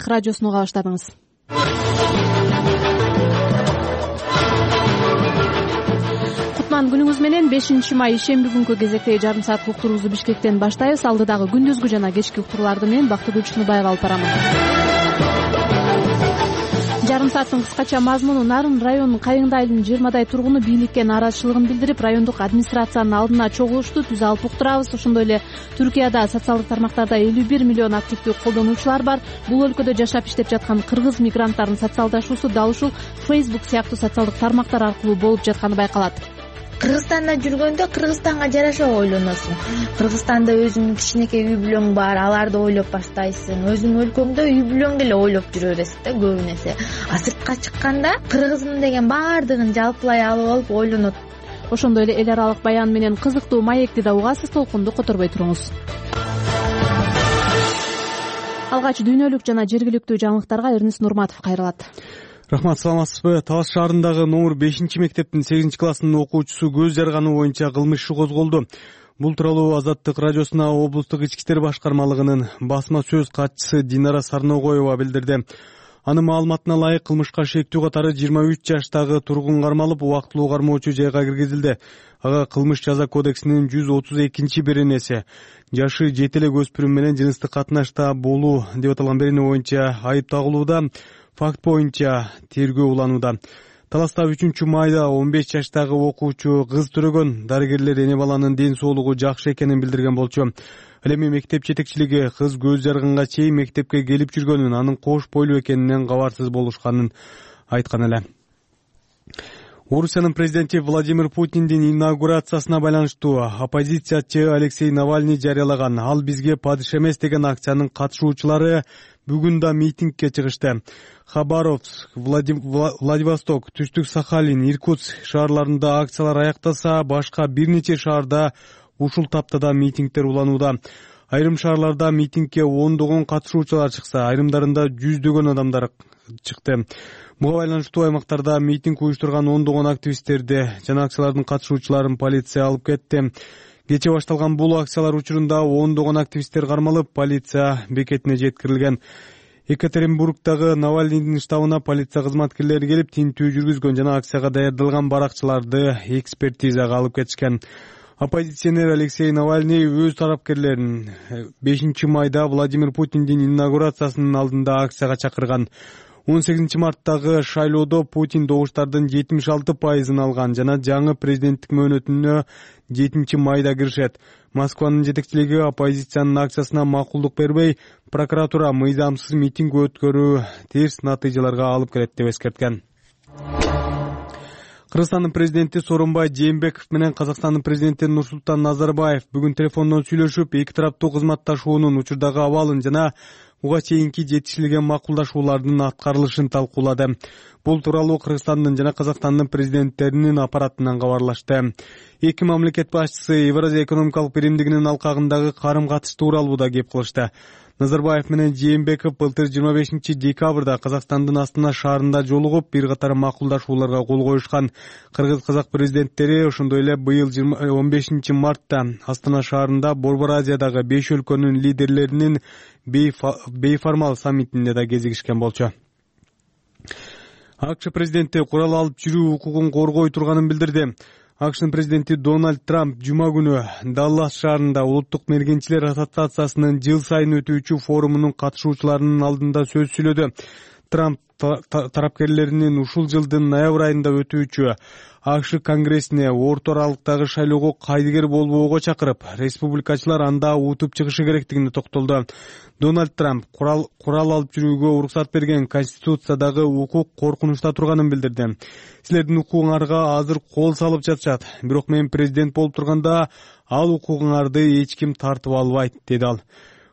Азаттык радиосуну уга баштадыңыз. Кутман күнүңүз менен. 5-май ишемби күnkү кезектеги жарым саат уктуруубузду Бишкектен баштайбыз. Алдыдагы күндүзгү жана кечки уктурууларды мен Бактыгүл Чыныбаева алып барамын. Жарым сааттын кыскача мазмуну: Нарын районунун Кайыңды айылынын 20дай тургуну бийликке нааразычылыгын билдирип, райондук администрациянын алдына чогулушту. Түз алып уктурабыз. Ошондой эле Түркияда социалдык тармактарда 51 миллион активдүү колдонуучулар бар. Бул өлкөдө жашап иштеп жаткан кыргыз мигранттардын социалдашуусу дал ушул Facebook сыяктуу социалдык тармактар аркылуу болуп жатканы байкалат. Кыргызстанда жүргөндө Кыргызстанга жараша ойлоносуң. Кыргызстанда өзүңдүн кичинекей үй бүлөң бар, аларды ойлоп баштайсың. Өзүңдүн өлкөңдө үй бүлөңдү эле ойлоп жүрө бересиң да көбү нерсе. А сыртка чыкканда кыргызмын деген баардыгын жалпылай алып алып ойлонот. Ошондой эле эл аралык баян менен кызыктуу маекти да угасыз. Толкунду которбой туруңуз. Алгач дүйнөлүк жана жергиликтүү жаңылыктарга Эрнис Нурматов кайрылат. Рахмат, саламатсызбы? Талас шаарындагы номер 5-мектептин 8-классынын окуучусу көз жарганы боюнча кылмыш иши козголду. Бул тууралуу Азаттык радиосуна облустук ички иштер башкармалыгынын басма сөз катчысы Динара Сарногоева билдирди. Анын маалыматына ылайык, кылмышка шектүү катары 23 жаштагы тургун кармалып, убактылуу кармоочу жайга киргизилди. Ага кылмыш жаза кодексинин 132-беренеси жашы 7 эле өспүрүм менен жыныстык катнашта болуу деп аталган берене боюнча айып тагылууда. Факт боюнча тергөө уланууда. Таласта 3-майда 15 жаштагы окуучу кыз төрөгөн. Дарыгерлер эне баланын ден соолугу жакшы экенин билдирген болчу. Ал эми мектеп жетекчилиги кыз көз жарганга чейин мектепке келип жүргөнүн, анын кош бойлуу экенинен кабарсыз болушканын айткан эле. Орусиянын президенти Владимир Путиндин инаугурациясына байланыштуу оппозициячы Алексей Навальный жарыялаган "Ал бизге падыша эмес" деген акциянын катышуучулары бүгүн да митингке чыгышты. Хабаровск, Владивосток, Түштүк Сахалин, Иркутск шаарларында акциялар аяктаса, башка бир нече шаарда ушул таптада митингдер уланууда. Айрым шаарларда митингке ондогон катышуучулар чыкса, айрымдарында жүздөгөн адамдар чыкты. Буга байланыштуу аймактарда митинг уюштурган ондогон активисттерди жана акциялардын катышуучуларын полиция алып кетти. Кече башталган бул акциялар учурунда ондогон активисттер кармалып, полиция бекетине жеткирилген. Екатеринбургдагы Навальныйдын штабына полиция кызматкерлери келип, тинтүү жүргүзгөн жана акцияга даярдалган баракчыларды экспертизага алып кетишкен. Оппозиционер Алексей Навальный өз тарапкерлерин 5-майда Владимир Путиндин инаугурациясынын алдында акцияга чакырган. 18 марттагы шайлоодо Путин добуштардын 76% алган жана жаңы президенттик мөөнөтүнө 7-майда киришет. Москванын жетекчилиги оппозициянын акциясына макулдук бербей, прокуратура мыйзамсыз митинг өткөрүү терс натыйжаларга алып келет деп эскерткен. Кыргызстандын президенти Сооронбай Жээнбеков менен Казакстандын президенти Нурсултан Назарбаев бүгүн телефондон сүйлөшүп, эки тараптуу кызматташуунун учурдагы абалын жана буга чейинки жетишилген макулдашуулардын аткарылышын талкуулады. Бул тууралуу Кыргызстандын жана Казакстандын президенттеринин аппаратынан кабарлашты. Эки мамлекет башчысы Евразия экономикалык биримдигинин алкагындагы карым-катыш тууралуу да кеп кылышты. Назарбаев менен Жээнбеков былтыр 25 декабрда Казакстандын Астана шаарында жолугуп, бир катар макулдашууларга кол коюшкан. Кыргыз-казак президенттери ошондой эле быйыл 15 мартта Астана шаарында Борбор Азиядагы 5 өлкөнүн лидерлеринин бейформал саммитинде да кезигишкен болчу. АКШ президенти курал алып жүрүү укугун коргой турганын билдирди. АКШнын президенти Дональд Трамп жума күнү Даллас шаарында Улуттук мергенчилер ассоциациясынын жыл сайын өтүүчү форумунун катышуучуларынын алдында сөз сүйлөдү. Трамп тарапкерлеринин ушул жылдын ноябрь айында өтүүчү АКШ конгрессине орто аралыктагы шайлоого кайдыгер болбоого чакырып, республикачылар анда утуп чыгышы керектигине токтолду. Дональд Трамп курал алып жүрүүгө уруксат берген Конституциядагы укук коркунучта турганын билдирди. Силердин укугуңарга азыр кол салып жатышат, бирок мен президент болуп турганда ал укугуңарды эч ким тартып албайт, деди ал.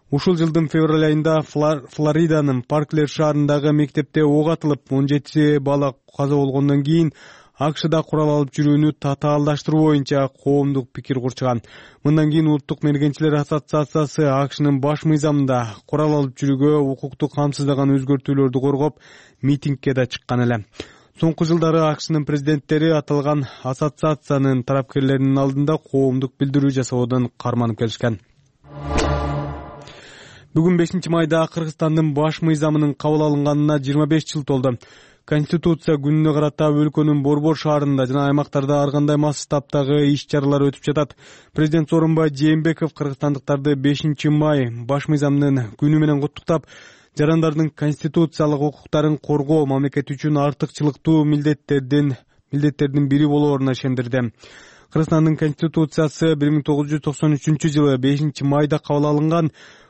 Ушул жылдын февраль айында Флориданын Парклер шаарындагы мектепте ок атылып, 17 бала каза болгондон кийин АКШда курал алып жүрүүнү татаалдаштыруу боюнча коомдук пикир курчуган. Мындан кийин Улуттук мергенчилер ассоциациясы АКШнын баш мыйзамында курал алып жүрүүгө укуктук камсыздаган өзгөртүүлөрдү коргоп, митингке да чыккан эле. Соңку жылдары АКШнын президенттери аталган ассоциациянын тарапкерлеринин алдында коомдук билдирүү жасоодон карманып келишкен. Бүгүн 5-майда Кыргызстандын баш мыйзамынын кабыл алынганына 25 жыл толду. Конституция күнүнө карата өлкөнүн борбор шаарында жана аймактарда ар кандай масштабтагы иш-чаралар өтүп жатат. Президент Сооронбай Жээнбеков кыргызстандыктарды 5-май баш мыйзамынын күнү менен куттуктап, жарандардын конституциялык укуктарын коргоо мамлекет үчүн артыкчылыктуу милдеттердин бири болооруна ишендирди. Кыргызстандын конституциясы 1993-жылы 5-майда кабыл алынган.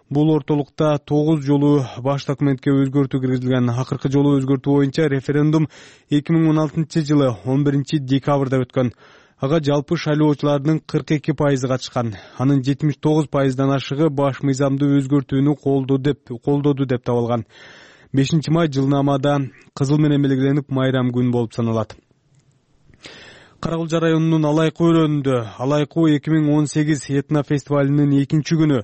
Бул ортолукта 9 жолу баш документке өзгөртүү киргизилген. Акыркы жолу өзгөртүү боюнча референдум 2016-жылы 11-декабрда өткөн. Ага жалпы шайлоочулардын 42% катышкан. Анын 79%дан ашыгы баш мыйзамды өзгөртүүнү колдоду деп табылган. 5-май жылнамада кызыл менен белгиленип майрам күн болуп саналат. Кара Кулча районунун Алайкуу өрөөнүндө Алайкуу 2018 этно фестивалынын 2-күнү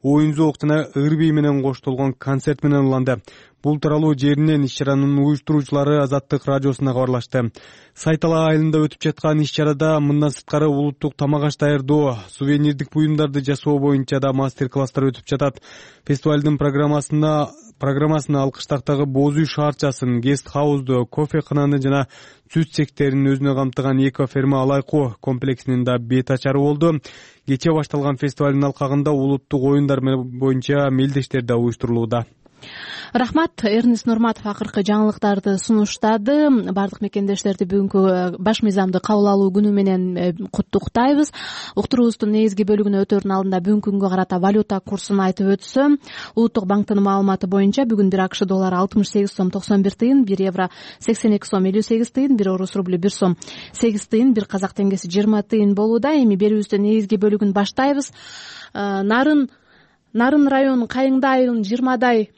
оюн-зоок жана ыр-бий менен коштолгон концерт менен уланды. Бул тууралуу жеринен иш-чаранын уюштуруучулары Азаттык радиосуна кабарлашты. Сайтала айылында өтүп жаткан иш-чарада мындан сырткары улуттук тамак аш даярдоо, сувенирдик буюмдарды жасоо боюнча да мастер-класстар өтүп жатат. Фестивалдын программасына Алкыштактагы Боз үй шаарчасын, гест-хаузду, кофе-кананы жана сүт цехтерин өзүнө камтыган эко-ферма Алайкуу комплексинин да бет ачары болду. Кечээ башталган фестивалдын алкагында улуттук оюндар боюнча мелдештер да уюштурулууда. Рахмат. Эрнест Нурматов акыркы жаңылыктарды сунуштады. Бардык мекендештерди бүгүнкү баш мыйзамды кабыл алуу күнү менен куттуктайбыз. Уктуруубуздун негизги бөлүгүнө өтөөрдүн алдында бүгүнкү күнгө карата валюта курсун айтып өтсөм, Улуттук банктын маалыматы боюнча бүгүн 1 АКШ доллары 68 сом 91 тыйын, 1 евро 82 сом 58 тыйын, 1 орус рублю 1 сом 8 тыйын, 1 казак теңгеси 20 тыйын болууда. Эми берүүбүздүн негизги бөлүгүн баштайбыз. Нарын районунун Кайыңды айылынын 20дай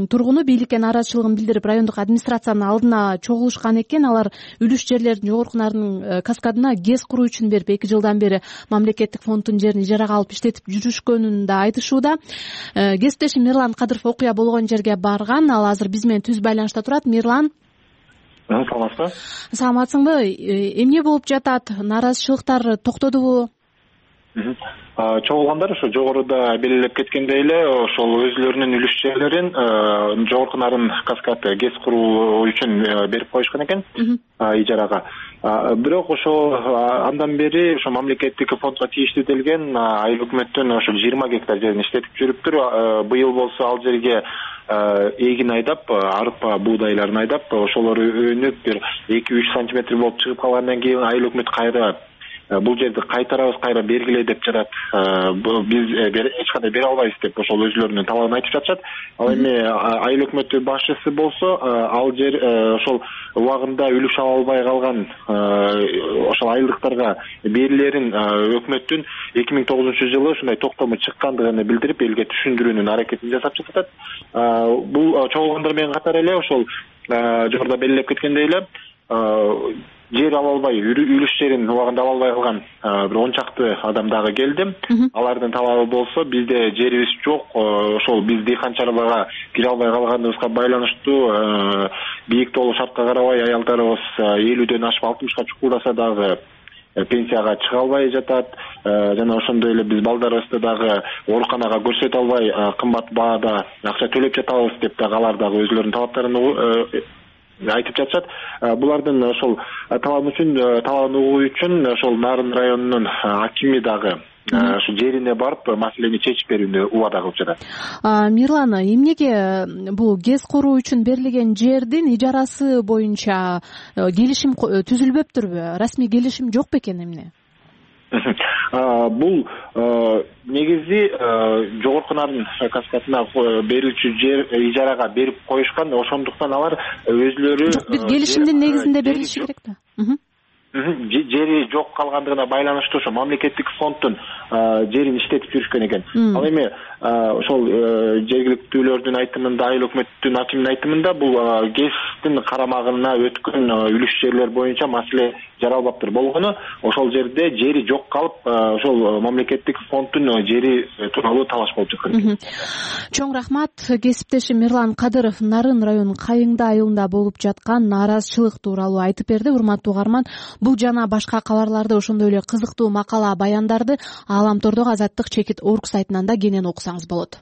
тургуну бийликке нааразычылыгын билдирип, райондук администрациянын алдына чогулушкан экен. Алар үлүш жерлердин Жогорку Нарын каскадына ГЭС куруу үчүн берип, 2 жылдан бери мамлекеттик фонддун жерин ижарага алып иштетип жүрүшкөнүн да айтышууда. Кесиптешим Мирлан Кадыров окуя болгон жерге барган. Ал азыр биз менен түз байланышта турат. Мирлан, саламатсызбы? Саламатсыңбы? Эмне болуп жатат? Нааразычылыктар токтодубу? Чогулгандар ошо жогоруда белгилеп кеткендей эле ошол өзүлөрүнүн үлүш жерлерин Жогорку Нарын каскады ГЭС куруу үчүн берип коюшкан экен ижарага. Бирок ошо андан бери ошо мамлекеттик фондго тийиштүү делген айыл өкмөттүн ошо 20 гектар жерин иштетип жүрүптүр. Быйыл болсо ал жерге эгин айдап, арпа, буудайларын айдап, ошолор өнүп бир 2-3 сантиметр болуп чыгып калгандан кийин айыл өкмөт кайра бул жерди кайтарабыз, кайра бергиле деп жатат. Биз эч кандай бере албайбыз деп ошол өзүлөрүнүн талабын айтып жатышат. Ал эми айыл өкмөтү башчысы болсо ал жер ошол убагында үлүш ала албай калган ошол айылдыктарга берилерин өкмөттүн 2009-жылы ушундай токтому чыккандыгын билдирип, элге түшүндүрүүнүн аракетин жасап жатат. Бул чогулгандар менен катар эле ошол жогоруда белгилеп кеткендей эле жер ала албай, үлүш жерин убагында ала албай калган бир 10 чакты адам дагы келди. Алардын талабы болсо бизде жерибиз жок, ошол биз дыйканчылыкка кире албай калганыбызга байланыштуу бийик тоолуу шартка карабай аялдарыбыз 50дөн ашып 60ка чукулдаса дагы пенсияга чыга албай жатат. Жана ошондой эле биз балдарыбызды дагы ооруканага көрсөтө албай кымбат баада акча төлөп жатабыз деп дагы алар дагы өзүлөрүнүн талаптарын айтып жатышат. Булардын ошол талабын угуу үчүн ошол Нарын районунун акими дагы ушу жерине барып маселени чечип берүүнү убада кылып жатат. Мирлан, эмнеге бул ГЭС куруу үчүн берилген жердин ижарасы боюнча келишим түзүлбөптүрбү? Расмий келишим жок бекен эмне? Бул негизи Жогорку Нарын каскадына берүүчү жер ижарага берип коюшкан, ошондуктан алар өзүлөрү бир келишимдин негизинде берилиши керек да. Жери жок калгандыгына байланыштуу ошо мамлекеттик фонддун жерин иштетип жүрүшкөн экен. Ал эми ошол жергиликтүүлөрдүн айтымында, айыл өкмөттүн акиминин айтымында бул ГЭСтин карамагына өткөн үлүш жерлер боюнча маселе жаралбаптыр болгону, ошол жерде жери жок калып, ошол мамлекеттик фонддун жери тууралуу талаш болуп жаткан. Чоң рахмат. Кесиптешим Мирлан Кадыров Нарын районунун Кайыңды айылында болуп жаткан нааразычылык тууралуу айтып берди. Урматтуу угарман, бул жана башка кабарларды, ошондой эле кызыктуу макала, баяндарды Ааламтордогу Азаттык чекит орг сайтынан да кенен окусаңыз болот.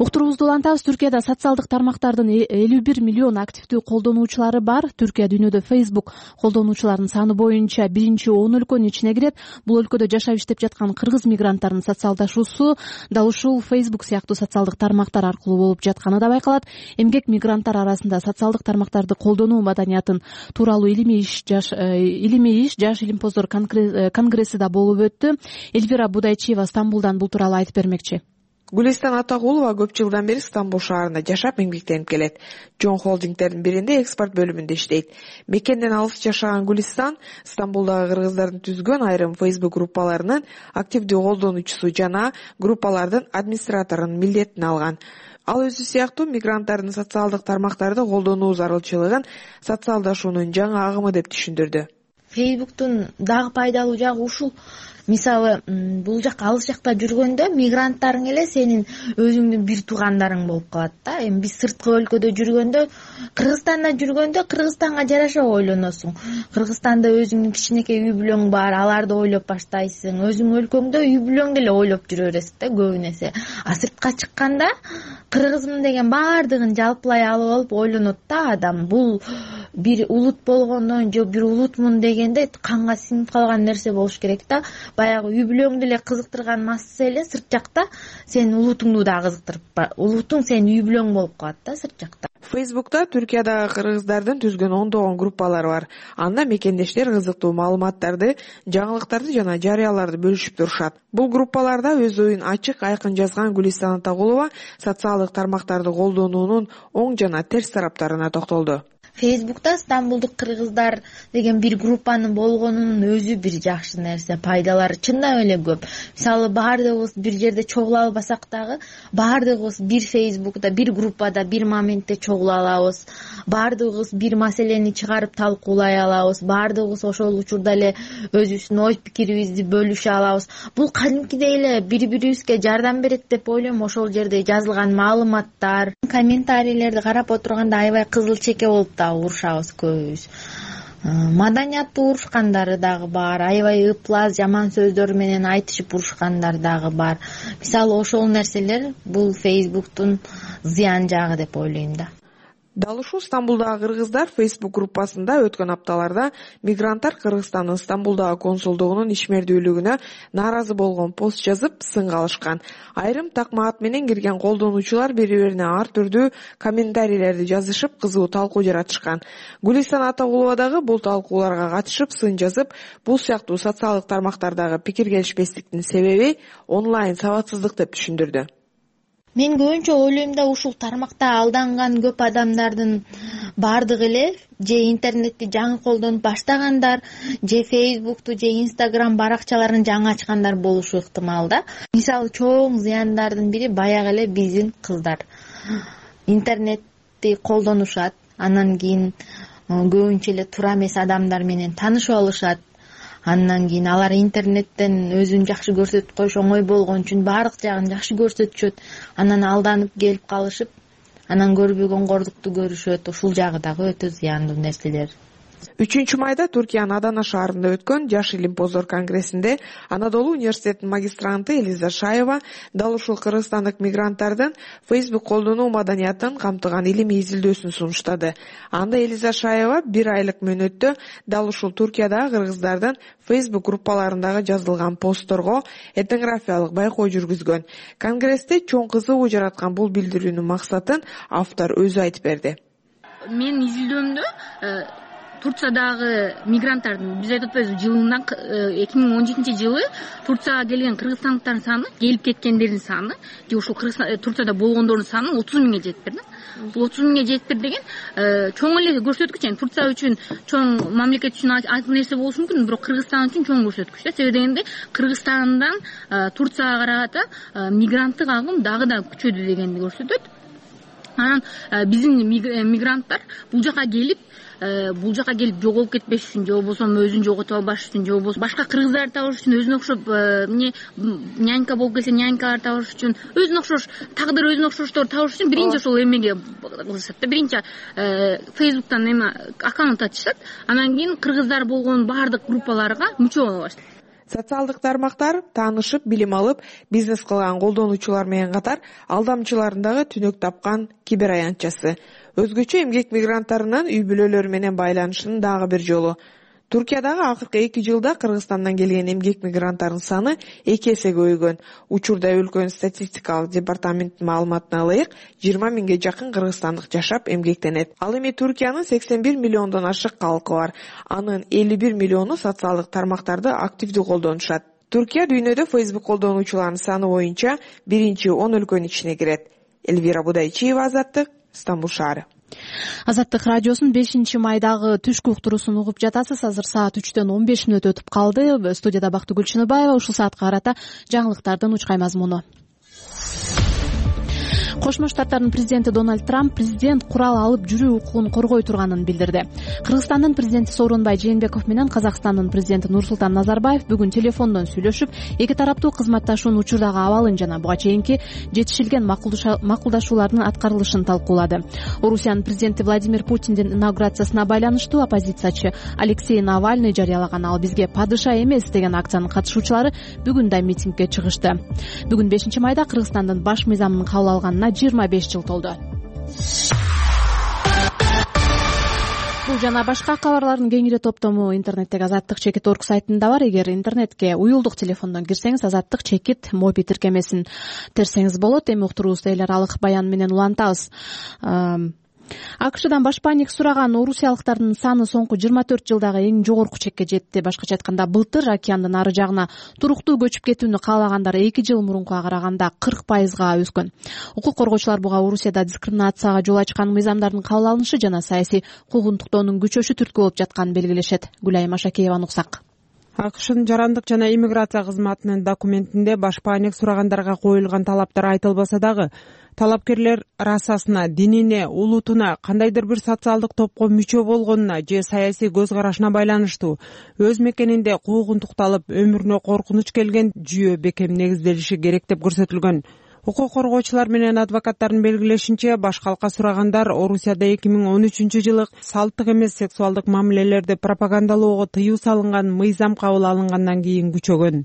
Уктуруубузду улантабыз. Түркияда социалдык тармактардын 51 миллион активдүү колдонуучулары бар. Түркия дүйнөдө Facebook колдонуучуларынын саны боюнча 1-10 өлкөнүн ичине кирет. Бул өлкөдө жашап иштеп жаткан кыргыз мигранттардын социалдашуусу дал ушул Facebook сыяктуу социалдык тармактар аркылуу болуп жатканы да байкалат. Эмгек мигранттар арасында социалдык тармактарды колдонуу маданиятын тууралуу илимий иш жаш илимпоздор конгресси да болуп өттү. Эльвира Будайчиева Стамбулдан бул тууралуу айтып бермекчи. Гулистан Атагулова көп жылдан бери Стамбул шаарында жашап эмгектенип келет. Жон холдингдердин биринде экспорт бөлүмүндө иштейт. Мекенден алыс жашаган Гулистан Стамбулдагы кыргыздардын түзгөн айрым Facebook группаларынын активдүү колдонуучусу жана группалардын администраторунун милдетин алган. Ал өзү сыяктуу мигранттардын социалдык тармактарды колдонуу зарылчылыгын социалдашуунун жаңы агымы деп түшүндүрдү. Facebooktун дагы пайдалуу жагы ушул. Мисалы, бул жак алыс жакта жүргөндө мигранттарың эле сенин өзүңдүн бир туугандарың болуп калат да. Эми биз сырткы өлкөдө жүргөндө, Кыргызстанда жүргөндө Кыргызстанга жараша ойлоносуң. Кыргызстанда өзүңдүн кичинекей үй бүлөң бар, аларды ойлоп баштайсың. Өзүң өлкөңдө үй бүлөңдү эле ойлоп жүрө бересиң да көбү нерсе. А сыртка чыкканда кыргызмын деген баардыгын жалпылай алып алып ойлонот да адам. Бул бир улут болгондон же бир улутмун дегенде канга сиңип калган нерсе болуш керек да. Баягы үй бүлөңдү эле кызыктырган масса эле сырт жакта сенин улутуңду да кызыктырып, улутуң сенин үй бүлөң болуп калат да сырт жакта. Facebook'та Түркиядагы кыргыздардын түзгөн ондогон группалары бар. Анда мекендештер кызыктуу маалыматтарды, жаңылыктарды жана жарыяларды бөлүшүп турушат. Бул группаларда өз оюн ачык, айкын жазган Гулистан Атагулова социалдык тармактарды колдонуунун оң жана терс тараптарына токтолду. Facebook'та Стамбулдук кыргыздар деген бир группанын болгонунун өзү бир жакшы нерсе, пайдалары чындап эле көп. Мисалы, баардыгыбыз бир жерде чогула албасак дагы, баардыгыбыз бир Facebook'та, бир группада, бир моментте чогула алабыз. Баардыгыбыз бир маселени чыгарып талкуулай алабыз. Баардыгыбыз ошол учурда эле өзүбүздүн ой пикирибизди бөлүшө алабыз. Бул кадимкидей эле бири-бирибизге жардам берет деп ойлойм. Ошол жерде жазылган маалыматтар, комментарийлерди карап отурганда аябай кызыл чеке болуп урушабыз көбүбүз. Маданияттуу урушкандары дагы бар, аябай ыплас, жаман сөздөр менен айтышып урушкандар дагы бар. Мисалы, ошол нерселер бул Facebooktун зыян жагы деп ойлойм да. Дал ушул Стамбулдагы кыргыздар Facebook группасында өткөн апталарда мигранттар Кыргызстандын Стамбулдагы консулдугунун ишмердүүлүгүнө нааразы болгон пост жазып сынга алышкан. Айрым такма ат менен кирген колдонуучулар бири-бирине ар түрдүү комментарийлерди жазышып, кызуу талкуу жаратышкан. Гулистан Атагулова дагы бул талкууларга катышып, сын жазып, бул сыяктуу социалдык тармактардагы пикир келишпестиктин себеби онлайн сабатсыздык деп түшүндүрдү. Мен көбүнчө ойлойм да, ушул тармакта алданган көп адамдардын бардыгы эле же интернетти жаңы колдонуп баштагандар, же Facebooktу же Instagram баракчаларын жаңы ачкандар болушу ыктымал да. Мисалы, чоң зыяндардын бири баягы эле биздин кыздар интернетти колдонушат, анан кийин көбүнчө эле туура эмес адамдар менен таанышып алышат. Андан кийин алар интернеттен өзүн жакшы көрсөтүп коюш оңой болгон үчүн баардык жагын жакшы көрсөтүшөт. Анан алданып келип калышып, анан көрбөгөн кордукту көрүшөт. Ушул жагы дагы өтө зыяндуу нерселер. 3-майда Түркиянын Адана шаарында өткөн Жаш илимпоздор конгрессинде Анадолу университетинин магистранты Элиза Шаева дал ушул кыргызстандык мигранттардын Facebook колдонуу маданиятын камтыган илимий изилдөөсүн сунуштады. Анда Элиза Шаева 1 айлык мөөнөттө дал ушул Түркиядагы кыргыздардын Facebook группаларындагы жазылган постторго этнографиялык байкоо жүргүзгөн. Конгрессте чоң кызыгуу жараткан бул билдирүүнүн максатын автор өзү айтып берди. Мен изилдөөмдө Турциядагы мигранттардын, биз айтып атпайбызбы, жылынан 2017 жылы Турцияга келген кыргызстандыктардын саны, келип кеткендердин саны, же ушул Турцияда болгондордун саны 30 миңге жетиптир да. Бул 30 миңге жетиптир деген чоң эле көрсөткүч. Турция үчүн чоң, мамлекет үчүн айкын нерсе болушу мүмкүн, бирок Кыргызстан үчүн чоң көрсөткүч да. Себеби дегенде Кыргызстандан Турцияга карата мигранттык агым дагы да күчөдү дегенди көрсөтөт. Анан биздин мигранттар бул жака келип жоголуп кетпеш үчүн, же болбосо өзүн жоготуп албаш үчүн, же болбосо башка кыргыздарды табыш үчүн, өзүнө окшоп нянька болуп келсе нянькалар табыш үчүн, өзүнө окшош тагдыр, өзүнө окшоштор табыш үчүн биринчи ошол эмеге кылышат да. Биринчи Facebooktан аккаунт ачышат, анан кийин кыргыздар болгон баардык группаларга мүчө боло баштайт. Социалдык тармактар таанышып, билим алып, бизнес кылган колдонуучулар менен катар алдамчылардын дагы түнөк тапкан кибер аянтчасы. Өзгөчө эмгек мигранттарынын үй бүлөлөрү менен байланышынын дагы бир жолу. Туркиядагы акыркы 2 жылда Кыргызстандан келген эмгек мигранттарынын саны 2 эсе көбөйгөн. Учурда өлкөнүн статистикалык департаментинин маалыматына ылайык 20 миңге жакын кыргызстандык жашап эмгектенет. Ал эми Туркиянын 81 миллиондон ашык калкы бар. Анын 51 миллиону социалдык тармактарды активдүү колдонушат. Туркия дүйнөдө Facebook колдонуучуларынын саны боюнча 1-10 өлкөнүн ичине кирет. Эльвира Будайчиева, Азаттык, Стамбул шаары. Азаттык радиосунун 5-майдагы түшкү уктуруусун угуп жатасыз. Азыр саат 3-төн 15 мүнөт өтүп калды. Студияда Бактыгүл Чыныбаева. Ушул саатка карата жаңылыктардын учкай мазмуну. Кошмо Штаттардын президенти Дональд Трамп президент курал алып жүрүү укугун коргой турганын билдирди. Кыргызстандын президенти Сооронбай Жээнбеков менен Казакстандын президенти Нурсултан Назарбаев бүгүн телефондон сүйлөшүп, эки тараптуу кызматташуунун учурдагы абалын жана буга чейинки жетишилген макулдашуулардын аткарылышын талкуулады. Орусиянын президенти Владимир Путиндин инаугурациясына байланыштуу оппозициячы Алексей Навальный жарыялаган "Ал бизге падыша эмес" деген акциянын катышуучулары бүгүн да митингге чыгышты. Бүгүн 5-майда Кыргызстандын баш мыйзамынын кабыл алганына 25 жыл толду. Бул жана башка кабарлардын кеңири топтому интернеттеги azattik.org сайтында бар. Эгер интернетке уюлдук телефондон кирсеңиз, Азаттык чекит моби тиркемесин терсеңиз болот. Эми уктуруубузду эл аралык баян менен улантабыз. АКШдан башпаанек сураган орусиялыктардын саны соңку 24 жылдагы эң жогорку чекке жетти. Башкача айтканда, былтыр океандын ары жагына туруктуу көчүп кетүүнү каалагандар 2 жыл мурункуга караганда 40%га өскөн. Укук коргоочулар буга Орусияда дискриминацияга жол ачкан мыйзамдардын кабыл алынышы жана саясий куугунтуктоонун күчөшү түрткү болуп жатканын белгилешет. Гүлайым Ашакееванын уксак. АКШнын жарандык жана иммиграция кызматынын документинде башпаанек сурагандарга коюлган талаптар айтылбаса дагы, талапкерлер расасына, динине, улутуна, кандайдыр бир социалдык топко мүчө болгонуна же саясий көз карашына байланыштуу өз мекенинде куугунтукталып, өмүрүнө коркунуч келген жүйө бекем негизделиши керек деп көрсөтүлгөн. Укук коргоочулар менен адвокаттардын белгилешинче, баш калка сурагандар Орусияда 2013-жылы салттык эмес сексуалдык мамилелерди пропагандалоого тыюу салынган мыйзам кабыл алынгандан кийин күчөгөн.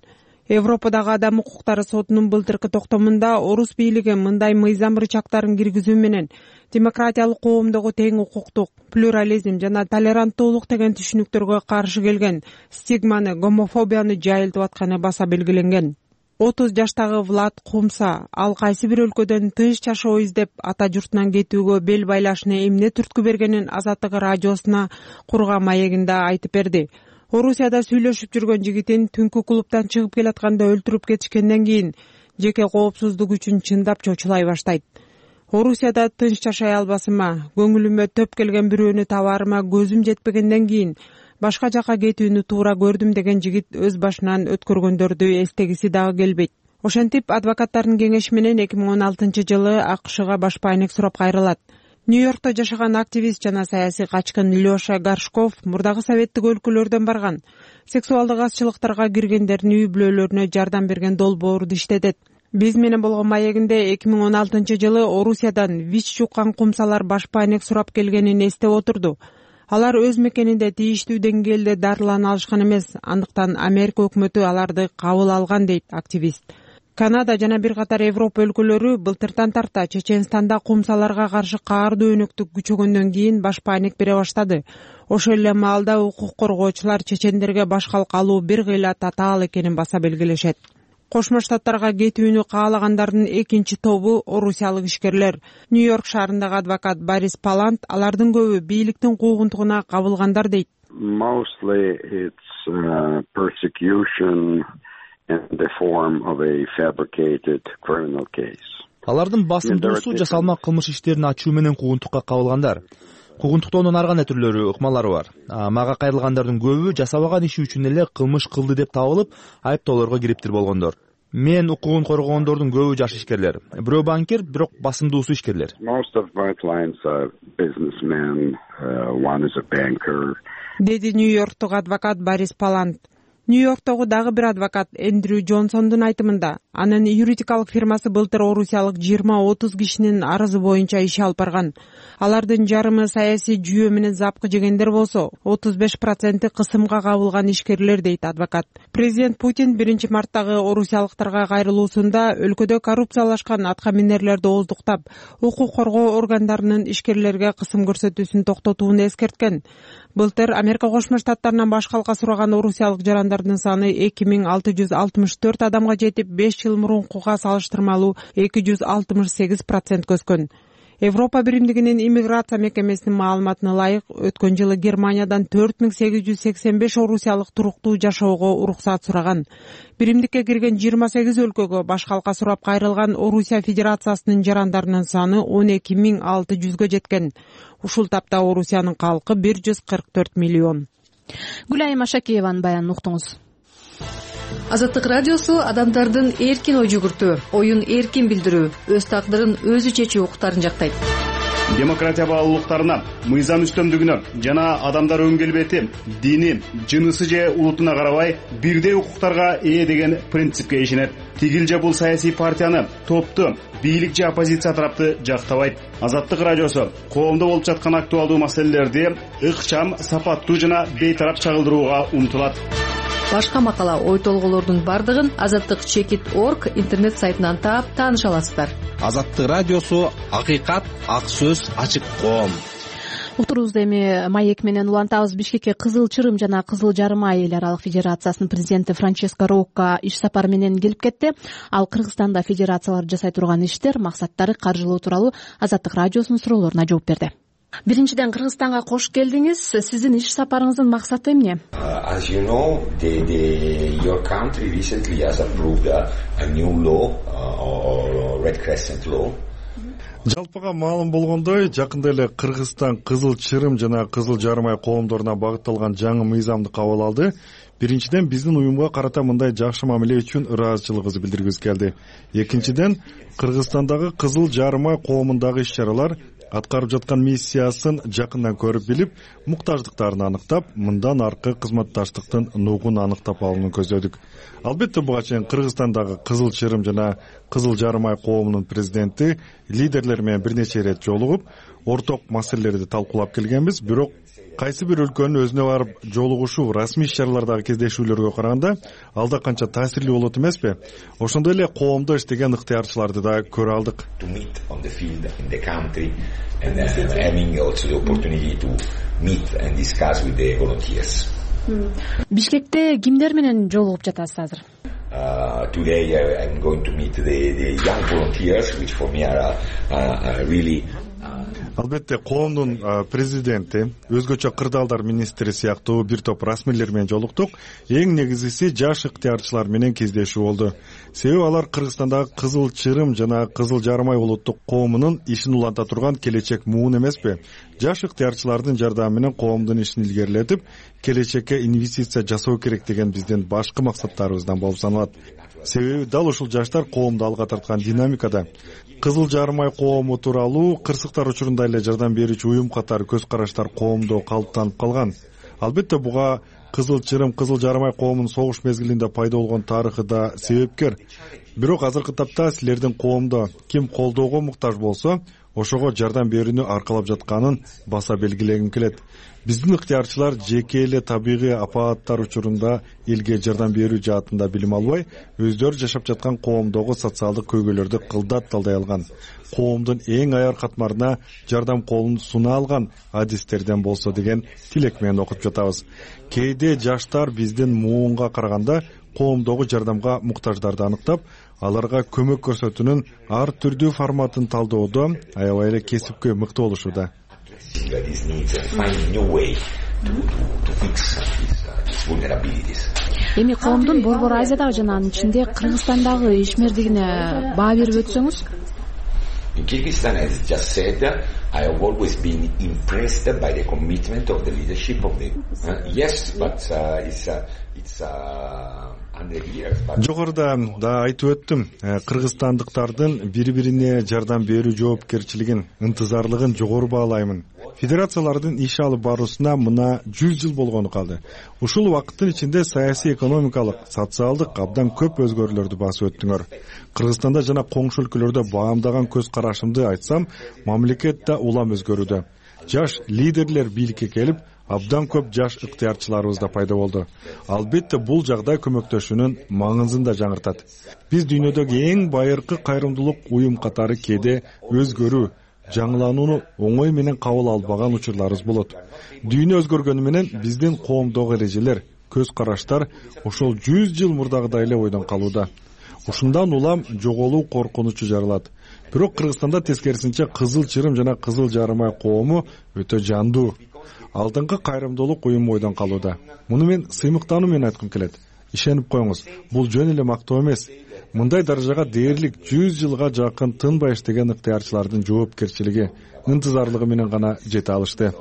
Европадагы адам укуктары сотунун былтыркы токтомунда орус бийлиги мындай мыйзам рычагтарын киргизүү менен демократиялык коомдогу тең укуктук, плюрализм жана толеранттуулук деген түшүнүктөргө каршы келген стигманы, гомофобияны жайылтып атканы баса белгиленген. 30 жаштагы Влад Кумса ал кайсы бир өлкөдөн тынч жашоо издеп ата журтунан кетүүгө бел байлашына эмне түрткү бергенин Азаттык радиосуна курган маегинде айтып берди. Орусияда сүйлөшүп жүргөн жигитин түнкү клубтан чыгып келатканда өлтүрүп кетишкенден кийин жеке коопсуздук үчүн чындап чочулай баштайт. Орусияда тынч жашай албасыма, көңүлүмө төп келген бирөөнү табарыма көзүм жетпегенден кийин башка жака кетүүнү туура көрдүм деген жигит өз башынан өткөргөндөрдү эстегиси дагы келбейт. Ошентип, адвокаттардын кеңеши менен 2016-жылы АКШга башпаанек сурап кайрылат. Нью-Йоркто жашаган активист жана саясий качкын Лёша Горшков мурдагы советтик өлкөлөрдөн барган. Сексуалдык азчылыктарга киргендердин үй бүлөлөрүнө жардам берген долбоорду иштетет. Биз менен болгон маегинде 2016-жылы Орусиядан ВИЧ жуккан кумсалар башпаанек сурап келгенин эстеп отурду. Алар өз мекенинде тийиштүү деңгээлде дарылана алышкан эмес, андыктан Америка өкмөтү аларды кабыл алган, дейт активист. Канада жана бир катар Европа өлкөлөрү былтыртан тарта Чеченстанда кумсаларга каршы каардуу өнөктүк күчөгөндөн кийин башпаанек бере баштады. Ошол эле маалда укук коргоочулар чечендерге баш калка алуу бир кыйла татаал экенин баса белгилешет. Кошмо Штаттарга кетүүнү каалагандардын экинчи тобу орусиялык ишкерлер. Нью-Йорк шаарындагы адвокат Борис Палант алардын көбү бийликтин куугунтугуна кабылгандар дейт. Mostly it's persecution in the form of a fabricated criminal case. Алардын басымдуусу жасалма кылмыш иштерин ачуу менен куугунтукка кабылгандар. Куугунтуктоонун ар кандай түрлөрү, ыкмалары бар. Мага кайрылгандардын көбү жасабаган иши үчүн эле кылмыш кылды деп табылып, айыптоолорго кириптир болгондор. Мен укугун коргогондордун көбү жаш ишкерлер. Бирөө банкир, бирок басымдуусу ишкерлер. Most of my clients are businessmen, one is a banker. Деди Нью-Йорктук адвокат Борис Палант. Нью-Йорктогу дагы бир адвокат Эндрю Джонсондун айтымында, Анын юридикалык фирмасы былтыр орусиялык 20-30 кишинин арызы боюнча иш алып барган. Алардын жарымы саясий жүйө менен запкы жегендер болсо, 35% кысымга кабылган ишкерлер, дейт адвокат. Президент Путин 1-марттагы орусиялыктарга кайрылуусунда өлкөдө коррупциялашкан аткаминерлерди ооздуктап, укук коргоо органдарынын ишкерлерге кысым көрсөтүүсүн токтотууну эскерткен. Былтыр Америка Кошмо Штаттарынан башкалка сураган орусиялык жарандардын саны 2664 адамга жетип, 5 жыл мурункуга салыштырмалуу 268% өскөн. Европа биримдигинин иммиграция мекемесинин маалыматына ылайык, өткөн жылы Германиядан 4885 орусиялык туруктуу жашоого уруксат сураган. Биримдикке кирген 28 өлкөгө башкалка сурап кайрылган Орусия Федерациясынын жарандарынын саны 12600 жеткен. Ушул тапта Орусиянын калкы 144 миллион. Гүлайым Ашакиеванын баянын уктуңуз. Азаттык радиосу адамдардын эркин ой жүгүртүү, оюн эркин билдирүү, өз тагдырын өзү чечүү укуктарын жактайт. Демократия баалуулуктарына, мыйзам үстөмдүгүнө жана адамдар өн келбети, дини, жынысы же улутуна карабай бирдей укуктарга ээ деген принципке ишенет. Тигил же бул саясий партияны, топту, бийлик же оппозиция тарапты жактабайт. Азаттык радиосу коомдо болуп жаткан актуалдуу маселелерди ыкчам, сапаттуу жана бейтарап чагылдырууга умтулат. Башка макала, ой толголордун бардыгын азаттык.org интернет сайтынан таап тааныша аласыздар. Азаттык радиосу акыйкат, ак сөз, ачык коом. Уктурубузду эми маек менен улантабыз. Бишкекке Кызыл Чырым жана Кызыл Жарма эл аралык федерациясынын президенти Франческо Рокко иш сапары менен келип кетти. Ал Кыргызстанда федерациялар жасай турган иштер, максаттары, каржылоо тууралуу Азаттык радиосунун суроолоруна жооп берди. Биринчиден, Кыргызстанга кош келдиңиз. Сиздин иш сапарыңыздын максаты эмне? As you know, your country recently has approved a new law, or Red Crescent law. Жалпыга маалым болгондой, жакында эле Кыргызстан Кызыл Чырым жана Кызыл Жармай коомдоруна багытталган жаңы мыйзамды кабыл алды. Биринчиден, биздин уюмга карата мындай жакшы мамиле үчүн ыраазычылыгыбызды билдиргибиз келди. Экинчиден, Кыргызстандагы Кызыл Жармай коомундагы иш-чаралар аткарып жаткан миссиясын жакындан көрүп билип, муктаждыктарын аныктап, мындан аркы кызматташтыктын нугун аныктап алууну көздөдүк. Албетте, буга чейин Кыргызстандагы Кызыл Чырым жана Кызыл Жармай коомунун президенти лидерлер менен бир нече ирет жолугуп, орток маселелерди талкуулап келгенбиз. Бирок кайсы бир өлкөнүн өзүнө барып жолугушуу, расмий иш-чаралардагы кездешүүлөргө караганда алда канча таасирлүү болот эмеспи? Ошондой эле коомдо иштеген ыктыярчыларды да көрө алдык. Бишкекте кимдер менен жолугуп жатасыз азыр? Today I'm going to meet the young volunteers, which for me are really. Албетте, коомдун президенти, өзгөчө кырдаалдар министри сыяктуу бир топ расмийлер менен жолуктук. Эң негизгиси жаш ыктыярчылар менен кездешүү болду. Себеби алар Кыргызстандагы Кызыл Чырым жана Кызыл Жармай улуттук коомунун ишин уланта турган келечек муун эмеспи? Жаш ыктыярчылардын жардамы менен коомдун ишин илгерилетип, келечекке инвестиция жасоо керек деген биздин башкы максаттарыбыздан болуп саналат. Себеби дал ушул жаштар коомду алга тарткан динамикада. Кызыл Жармай коому тууралуу кырсыктар учурунда эле жардам берүүчү уюм катары көз караштар коомдо калыптанып калган. Албетте, буга Кызыл Чырым, Кызыл Жармай коомунун согуш мезгилинде пайда болгон тарыхы да себепкер. Бирок азыркы тапта силердин коомдо ким колдоого муктаж болсо, ошого жардам берүүнү аркалап жатканын баса белгилегим келет. Биздин ыктыярчылар жеке эле табигый апааттар учурунда элге жардам берүү жаатында билим албай, өздөрү жашап жаткан коомдогу социалдык көйгөйлөрдү кылдат талдай алган. Коомдун эң аяр катмарына жардам колун суна алган адистерден болсо деген тилек менен окуп жатабыз. Кээде жаштар биздин муунга караганда коомдогу жардамга муктаждарды аныктап, аларга көмөк көрсөтүүнүн ар түрдүү форматын талдоодо аябай эле кесипкөй мыкты болушууда. Эми коомдун Борбор Азиядагы жана анын ичинде Кыргызстандагы ишмердигине баа берип өтсөңүз? In Kyrgyzstan, as just said, I have always been impressed by the commitment of the leadership of the. Yes, but it's under years. Жогоруда да айтып өттүм, кыргызстандыктардын бири-бирине жардам берүү жоопкерчилигин, ынтызарлыгын жогору баалаймын. Федерациялардын иш алып баруусуна мына 100 жыл болгону калды. Ушул убакыттын ичинде саясий, экономикалык, социалдык абдан көп өзгөрүүлөрдү басып өттүңөр. Кыргызстанда жана коңшу өлкөлөрдө баамдаган көз карашымды айтсам, мамлекет да улам өзгөрүүдө. Жаш лидерлер бийликке келип, абдан көп жаш ыктыярчыларыбыз да пайда болду. Албетте бул жагдай көмөктөшүүнүн маңызын да жаңыртат. Биз дүйнөдөгү эң байыркы кайрымдуулук уюм катары кээде өзгөрүү, жаңыланууну оңой менен кабыл албаган учурларыбыз болот. Дүйнө өзгөргөнү менен биздин коомдогу эрежелер, көз караштар ошол 100 жыл мурдагыдай эле ойдон калууда. Ушундан улам жоголуу коркунучу жаралат. Бирок Кыргызстанда тескерисинче Кызыл Чырым жана Кызыл Жарым Ай коому өтө жандуу. Алдыңкы кайрымдуулук уюму ойдон калууда. Муну мен сыймыктануу менен айткым келет. Ишенип коюңуз, бул жөн эле мактоо эмес. Мындай даражага дээрлик 100 жылга жакын тынбай иштеген ыктыярчылардын жоопкерчилиги, ынтызарлыгы менен гана жете алышты.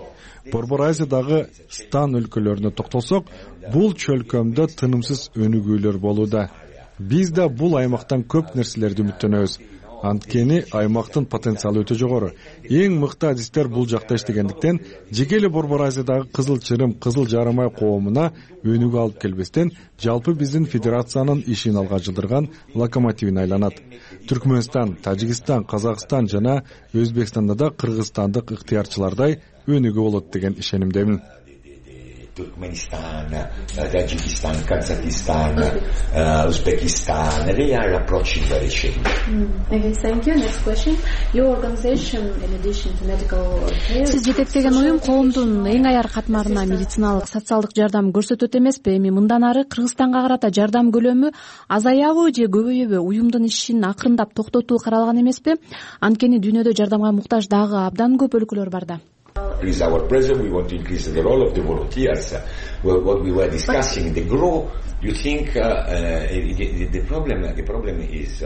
Борбор Азиядагы стан өлкөлөрүнө токтолсок, бул чөлкөмдө тынымсыз өнүгүүлөр болууда. Биз да бул аймактан көп нерселерди үмүттөнөбүз. Анткени аймактын потенциалы өтө жогору. Эң мыкты адистер бул жакта иштегендиктен, жеке эле Борбор Азиядагы Кызыл Чырым, Кызыл Жарым Ай коомуна өнүгүү алып келбестен, жалпы биздин федерациянын ишин алга жылдырган локомотивине айланат. Түркмөнстан, Тажикстан, Казакстан жана Өзбекстанда да кыргызстандык ыктыярчылардай өнүгүү болот деген ишенимдемин. Turkmenistan, Tajikistan, Kazakhstan, Uzbekistan, they are approaching very change. Okay, thank you. Next question. Your organization, in addition to medical care... Сиз жетектеген уюм коомдун эң аяр катмарына медициналык, социалдык жардам көрсөтөт эмеспи? Эми мындан ары Кыргызстанга карата жардам көлөмү азаябы же көбөйөбү? Уюмдун ишин акырындап токтотуу каралган эмеспи? Анткени дүйнөдө жардамга муктаж дагы абдан көп өлкөлөр бар да. Increase our presence, we want to increase the role of the volunteers. What we were discussing, the growth, you think the problem is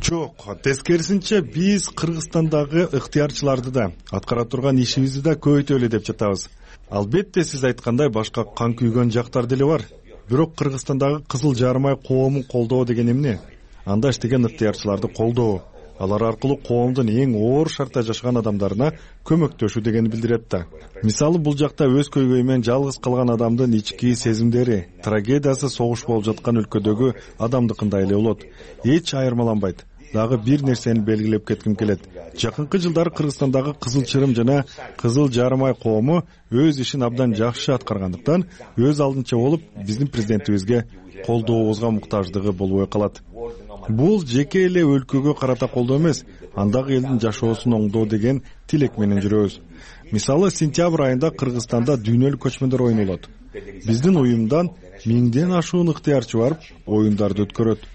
Жок, тескерисинче биз Кыргызстандагы ыктыярчыларды да, аткара турган ишибизди да көбөйтөлү деп жатабыз. Албетте сиз айткандай башка кан күйгөн жактар деле бар. Бирок Кыргызстандагы Кызыл Жарым Ай коомун колдоо деген эмне? Анда иштеген ыктыярчыларды колдоо. Алар аркылуу коомдун эң оор шартта жашаган адамдарына көмөктөшүү дегени билдирет да. Мисалы бул жакта өз көйгөйү менен жалгыз калган адамдын ички сезимдери, трагедиясы согуш болуп жаткан өлкөдөгү адамдыкындай эле болот. Эч айырмаланбайт. Дагы бир нерсени белгилеп кетким келет. Жакынкы жылдары Кыргызстандагы Кызыл Чырым жана Кызыл Жарым Ай коому өз ишин абдан жакшы аткаргандыктан өз алдынча болуп биздин президентибизге колдообузга муктаждыгы болбой калат. Бул жеке эле өлкөгө карата колдоо эмес, андагы элдин жашоосун оңдоо деген тилек менен жүрөбүз. Мисалы, сентябрь айында Кыргызстанда дүйнөлүк көчмөндөр оюну болот. Биздин уюмдан 1000ден ашуун ыктыярчы барып, оюндарды өткөрөт.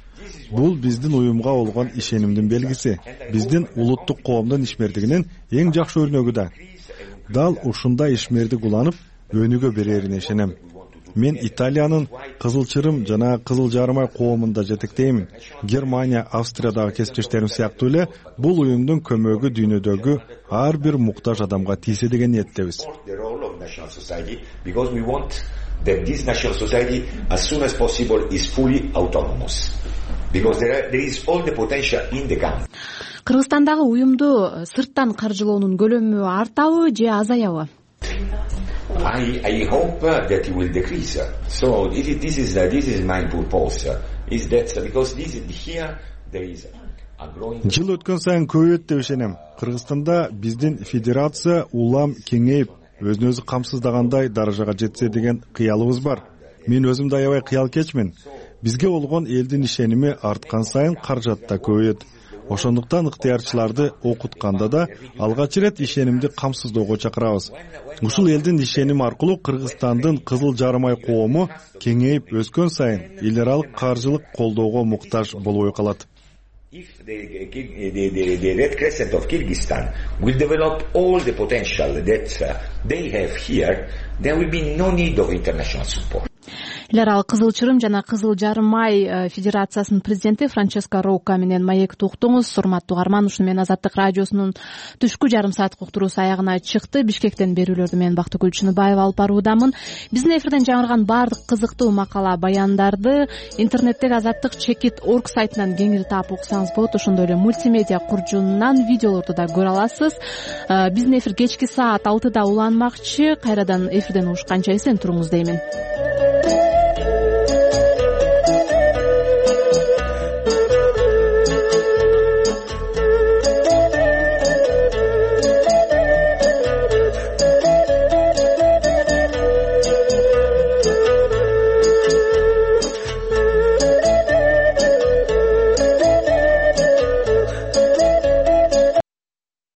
Бул биздин уюмга болгон ишенимдин белгиси. Биздин улуттук коомдун ишмердигинин эң жакшы өрнөгү да. Дал ушундай ишмердик уланып, өнүгө берерине ишенем. Мен Италиянын Кызыл Чырым жана Кызыл Жарым Ай коомунда жетектеймин. Германия, Австриядагы кесиптештерим сыяктуу эле бул уюмдун көмөгү дүйнөдөгү ар бир муктаж адамга тийсе деген ниеттебиз. Because we want that this national society as soon as possible is fully autonomous. Because there is all the potential in the country. Кыргызстандагы уюмду сырттан каржылоонун көлөмү артабы же азаябы? I hope that it will decrease. So this is my purpose. Is that because here there is a growing. Жыл өткөн сайын көбөйөт деп ишенем. Кыргызстанда биздин федерация улам кеңейип, өзүн өзү камсыздагандай даражага жетсе деген кыялыбыз бар. Мен өзүм да аябай кыялкечмин. Бизге болгон элдин ишеними арткан сайын каражат да көбөйөт. Ошондуктан ыктыярчыларды окутканда да алгач ирет ишенимди камсыздоого чакырабыз. Ушул элдин ишеними аркылуу Кыргызстандын Кызыл Жарым Ай коому кеңейип өскөн сайын эл аралык каржылык колдоого муктаж болбой калат. If the Red Crescent of Kyrgyzstan will develop all the potential that they have here, there will be no need of international support. эл аралык кызыл чырым жана кызыл жарым ай федерациясынын президенти Франческо Роука менен маекти уктуңуз. Урматтуу угарман, ушуну менен Азаттык радиосунун түшкү жарым сааттык уктуруусу аягына чыкты. Бишкектен берүүлөрдү мен Бактыгүл Чыныбаева алып баруудамын. Биздин эфирден жаңырган баардык кызыктуу макала, баяндарды интернеттеги Azattik.org сайтынан кеңири таап окусаңыз болот. Ошондой эле мультимедиа куржунунан видеолорду да көрө аласыз. Биздин эфир кечки саат 6да уланмакчы. Кайрадан эфирден угушканча эсен туруңуз деймин.